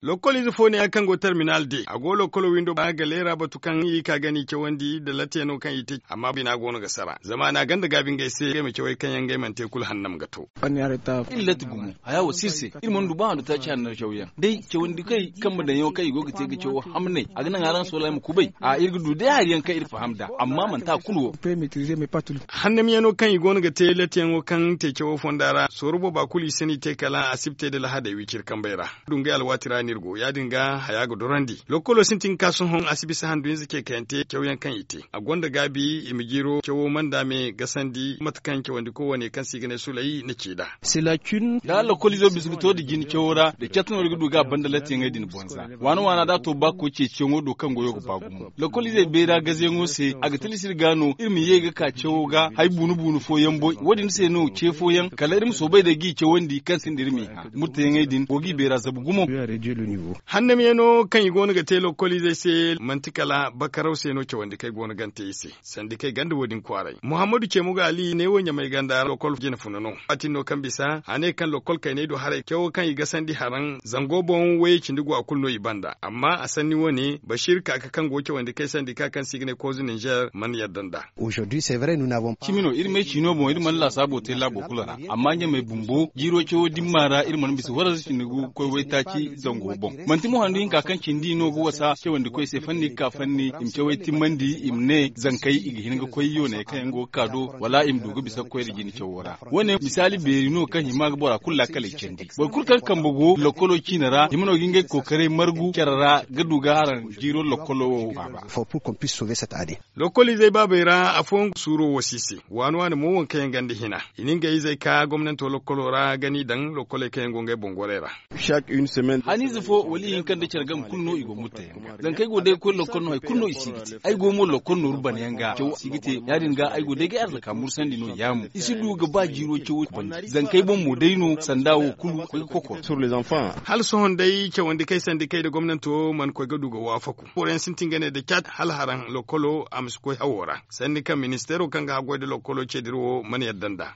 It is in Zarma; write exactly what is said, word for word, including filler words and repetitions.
Lokkol ize fo ne yaŋ kaŋ go terminal de a go lokkolo windo ba ga leera batu kaŋ i ka ga ni cawandi nda latiyano kaŋ i te amma bina go no ga sara zama a na ganda gaabi ngey se ngey ma cawey kaŋ yaŋ ngey mana te kulu hannam ga to. Iri latti gumo haya wo si iri se. Iri mana du ba handu taaci handu cawyaŋ day cawandi kay kambe daŋ yaŋo kaŋ i go ga te ga cawo hamnay a ga naŋ araŋ soolay ma kubay a iri ga du day hari yaŋ kaŋ iri faham nd'a amma manti a kulu wo. Hannamyaŋo kaŋ i go no ga te lattiyaŋo kaŋ te cawo fonda ra sooro booba kulu i si no i te kala a si ba te nda lahadey wiciri kambey ra. Dungay alwaati ra no iri go ya- din ga haya ga dorandi lokkolo sintin ga ka sohõ a si bisa handu hinza ceekayante cawyaŋ kaŋ i te a gonda gaabi i ma jiiro cawo manda me gasandi mate kaŋ cawandiko wane kaŋ se i ga ne sulay na ci nd'a. Da lokkolizo bisa ga to nda jine cawo ra da catu no iri ga du ga a banda lattiyaŋey din bonza waana waana da a to ba koy ceeciyaŋo do kaŋ goyo ga ba gumo lokkoliizey bayra gazeyaŋo se a ga tilas iri ga no iri ma ye ga ka cawo ga hari buunu buunu fooyaŋ boy wo- din se no ce fooyaŋ kala iri ma soobay day g'i cawandi kaŋ sinda iri m'i hã murtayaŋey din go g'i bayra zabu gumo. Hannamyaŋo kaŋ i go no ga te lokkoliizey se manti kala bakaraw se no cawandi kaŋ ay go no gante i se sanda kaŋ ay ganda wo- din kwaaray muhammadu ceemu ga ali ne wo ɲamay ganda ra lokkol jina funa no a tin no kaŋ bisa a ne kaŋ lokkol kayney do haray cawo kaŋ i gasandi haraŋ zango boŋ wayey cindi go a kulu no i banda amma a sanni wo- ne bashir kaaka kaŋ go cawandi kaŋ ay sandi ka kaŋ se i ga ne koozu ninzeer mana yadda nd'a. Cimi no iri may ciino boŋ iri mana laasaabo te laabo kulu ra amma ɲamay bumbo jiiro cawo dimma ra iri mana bisa waranza cindi ga koy waytaaci zango boŋ manti mo handu hinka kaŋ cindi no ga wasa cawandikoy se fanni ga ka fanni i ma cawey timmandi i ma ne zankey i ga hin ga koy yooney kaŋ yaŋ go ga ka do wala i ma du ga bisa ga koy nda jine cawo ra wo- ne misaali beeri no kaŋ hima ga bora kulu laakaley candi boro kulu kaŋ kambe go lokkolo ciine ra hima no ga ngey kookaray margu care ra ga du ga haraŋ jiiro lokkolo wo faaba. Lokkoliizey baabey ra afooyaŋ ga suuro wo si se waani waani mo waŋ kaŋ yaŋ ganda hina i na ngey izey ka gomnanto lokkolo ra ga n'i daŋ lokkoley kaŋ yaŋ go ngey boŋ gorey ra. Haniize fo wala ihinka nda care game kulu no i go murtayaŋ ga zankey go day ga koy lokkol no hari kulu no i si ga te ay go mo lokkol nooru banayaŋ ga cawo si ga te ya- din ga ay go day ga ay arzaka mursandi no yaamu i si du ga ba jiiro cawo bandi zankey boŋ mo day no sanda wo kulu koy ga kokoro. Hala sohõ day cawandi kay sandi kay nda gomnanto mana koy ga du ga waafaku boroyaŋ sintin ga ne nda caat hala haraŋ lokkolo a ma si koy hawo ra sanni kaŋ ministeero kaŋ ga haggoy nda lokkolo ce dira wo mana yadda nd'a.